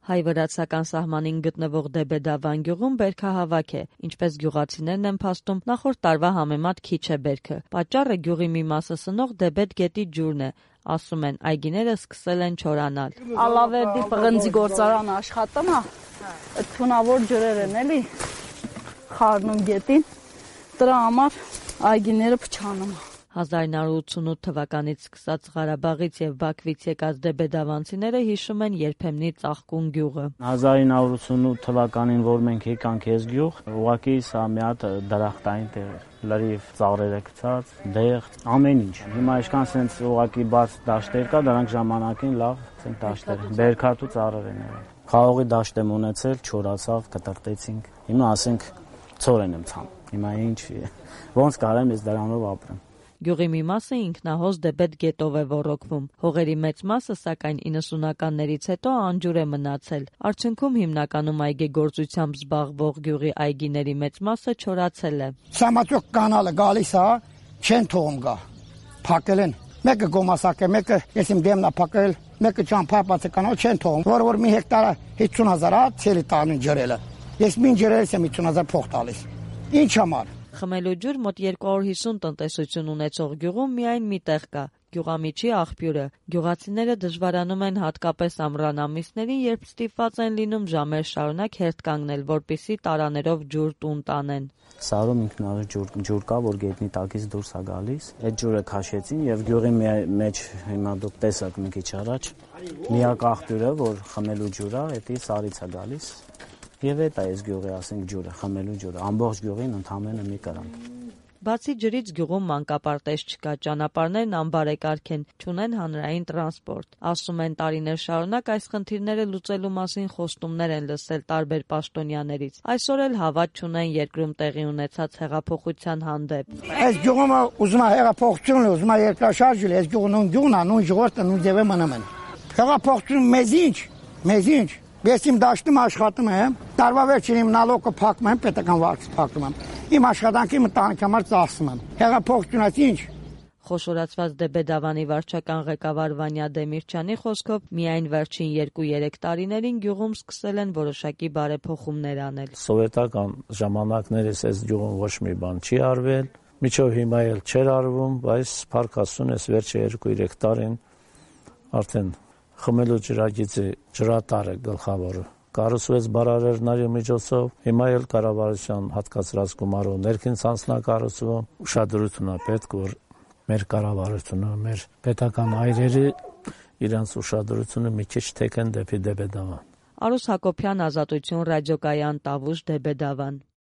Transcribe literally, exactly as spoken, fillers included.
Հայ-վրացական սահմանին գտնվող Դեբեդավան գյուղում բերքահավաք է, ինչպես գյուղացիներն են փաստում, նախորդ տարվա համեմատ քիչ է բերքը։ Պատճառը գյուղի մի մասը սնող Դեբեդ գետի ջուրն է, ասում են, այգիները սկսել են չորանալ։ Ալավերդի պղնձի գործարանը աշխատում է, այդ թունավոր ջրեր են էլի խառնում գետին, դրա համար այգիները փչանում են։ հազար ինը հարյուր ութսունութ թվականից սկսած Ղարաբաղից եւ Բաքվից եկած դեբեդավանցիները հիշում են երբեմնի ծաղկուն գյուղը։ հազար ինը հարյուր ութսունութ թվականին, որ մենք եկանք այս գյուղ, ուղղակի սա մի հատ դրախտային տեղ էր, լրիվ ծաղրերը գցած, դեղ, ամեն ինչ։ Հիմա այսքան sense ուղղակի բաց դաշտեր կա, դրանք ժամանակին լավ sense դաշտեր են, բերքատու ծառեր են եղել։ Խաղողի դաշտ եմ ունեցել, չորացավ, կտրտեցինք։ Հիմա ասենք ծորեն եմ ցան։ Հիմա ինչ ոնց կարեմ ես դրանով ապրեմ։ Գյուղի մի մասը ինքնահոս Դեբեդ գետով է ոռոգվում։ Հողերի մեծ մասը, սակայն իննսունականներից հետո անջուր է մնացել։ Արդյունքում հիմնականում այգեգործությամբ զբաղվող գյուղի այգիների մեծ մասը չորացել է։ Սամածոկ կանալը գալիս է, չեն թողում գա։ Փակել են։ Մեկը գոմասակ է, մեկը ես իմ դեմն է փակել, մեկը ճամփապած է կանալ, չեն թողում։ Որ որ մի հեկտարը հիսուն հազար է, ցելի տանին ջրելը։ Ես մին ջրելս եմ հիսուն հազար փող տալիս։ Ինչ համար։ Խմելու ջուր մոտ երկու հարյուր հիսուն տնտեսություն ունեցող գյուղում միայն մի տեղ կա՝ գյուղամիջի աղբյուրը։ Գյուղացիները դժվարանում են հատկապես ամռան ամիսներին, երբ ստիպված են լինում ժամեր շարունակ հերթ կանգնել, որպեսզի տարաներով ջուր տուն տանեն։ Սարում ինքնավար ջուր, ջուր կա, որ գետնի տակից դուրս է գալիս։ Այդ ջուրը քաշեցին եւ գյուղի մեջ հիմա դուք տեսաք մի քիչ առաջ միակ աղբյուրը, որ խմելու ջուր է, դա սարից է գալիս։ Եվ այդ է այս գյուղի, ասենք, ջուրը, խմելու ջուրը, ամբողջ գյուղին ընդամենը մի կրանք։ Բացի ջրից գյուղում մանկապարտեզ չկա, ճանապարհներն անբարեկարգ են, չունեն հանրային տրանսպորտ։ Ասում են, տարիներ շարունակ այս խնդիրները լուծելու մասին խոստումներ են լսել տարբեր պաշտոնյաներից։ Այսօր էլ հավատ չունեն երկրում տեղի ունեցած հեղափոխության հանդեպ։ Այս գյուղը ուզում է հեղափոխություն, ուզում է երկրաշարժ լինի, այս գյուղը նույն գյուղն է, նույն ժողովուրդը, նույն ձևը մնում են։ Հեղափոխություն մեզ ինչ, մեզ ինչ։ Ես իմ դաշտում աշխատում եմ, տարվա վերջին իմ նալոգը փակում եմ, պետական վարկս փակում եմ։ Իմ աշխատանքի ընտանիքի համար ծախսում եմ։ Հեղափոխությունը ինչ։ Խոշորացված Դեբեդավանի վարչական ղեկավար Վանյա Դեմիրճյանի խոսքով միայն վերջին երկու-երեք տարիներին գյուղում սկսել են որոշակի բարեփոխումներ անել։ Սովետական ժամանակներս այս գյուղում ոչ մի բան չի արվել, միջով հիմա էլ չէր արվում, բայց փառք Աստծուն այս վերջի երկու-երեք տարին արդեն խմելու ջրագիծի ջրատարը գլխավորը կառուցվեց բարարերների միջոցով, հիմա էլ կառավարության հատկացրած գումարով ներքին ցանցնակառուցվում, ուշադրություն է պետք, որ մեր կառավարությունը, մեր պետական այրերի իրենց ուշադրությունը մի քիչ թեքեն դեպի Դեբեդավան։ Արուս Հակոբյան, Ազատություն ռադիոկայան, Տավուշ, Դեբեդավան։